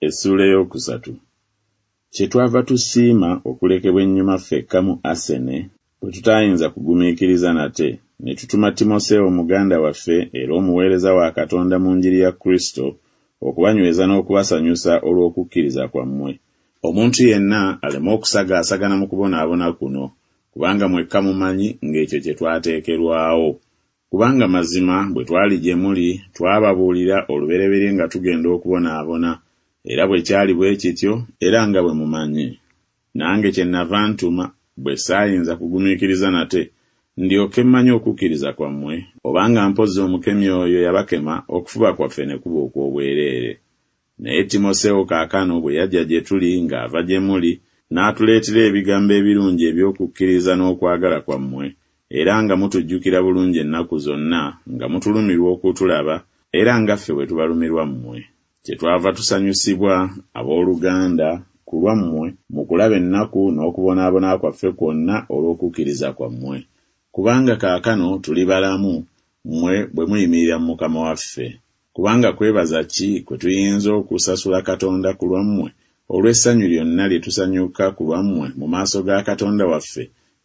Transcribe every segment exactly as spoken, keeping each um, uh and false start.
Essuula ey'okusatu. Kyetwava tusiima okulekebwa ennyuma ffekka mu Asene, bwe tutaayinza kugumiikiriza nate, ne tutuma Timoseewo muganda waffe era omuweereza wa Katonda mu njiri ya Kristo, okubanyweza n'okubasanyusa olw'okukkiriza kwammwe, omuntu yenna aleme okusagaasagana mu kubonaabona kuno, kubanga mwekka mumanyi ng'ekyo kye twateekerwawo. Kubanga mazima bwe twali gye muli twababuulira olubereberye nga tugenda okubonaabona, era bwe kyali bwe kityo, era nga bwe mumanyi. Nange kyennava ntuma, bwe saayinza kugumiikiriza nate, ndyoke mmanye okukkiriza kwammwe, obanga mpozzi omukemi oyo yabakema okufuba kwaffe ne kuba okw'obwereere. Naye Timoseewo kaakano bwe yajja gye tuli ng'ava gye muli, n'atuleetera ebigambo ebirungi eby'okukkiriza n'okwagala kwammwe, era nga mutujjukira bulungi ennaku zonna, nga mutulumirwa okutulaba, era nga ffe bwe tubalumirwa mmwe. Kyetwava tusanyusibwa, abooluganda, ku lwammwe mu kulaba ennaku n'okubonaabona kwaffe kwonna olw'okukkiriza kwammwe. Kubanga kaakano tuli balamu, mmwe bwe muyimirira mu Mukama waffe. Kubanga kwebaza ki kwe tuyinza okusasula Katonda ku lwammwe olw'essanyu lyonna lye tusanyuka ku lwammwe mu maaso ga Katonda waffe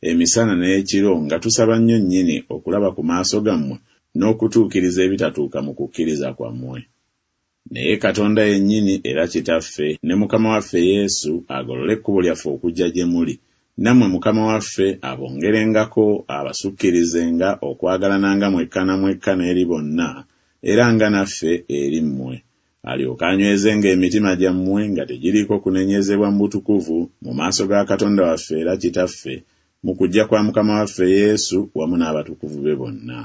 emisana n'ekiro nga tusaba nnyo nnyini okulaba ku maaso gammwe n'okutuukiriza ebitatuuka mu kukkiriza kwammwe. Naye Katonda yennyini era Kitaffe ne Mukama waffe Yesu agolole ekkubo lyaffe okujja gye muli, nammwe Mukama waffe abongerengako abasukkirizenga okwagalananga mwekka na mwekka n'eri bonna, era nga naffe eri mmwe, alyoke anywezenga emitima gyammwe nga tegiriiko kunenyezebwa mu butukuvu mu maaso ga Katonda waffe era Kitaffe mu kujja kwa Mukama waffe Yesu wamu n'abatukuvu be bonna.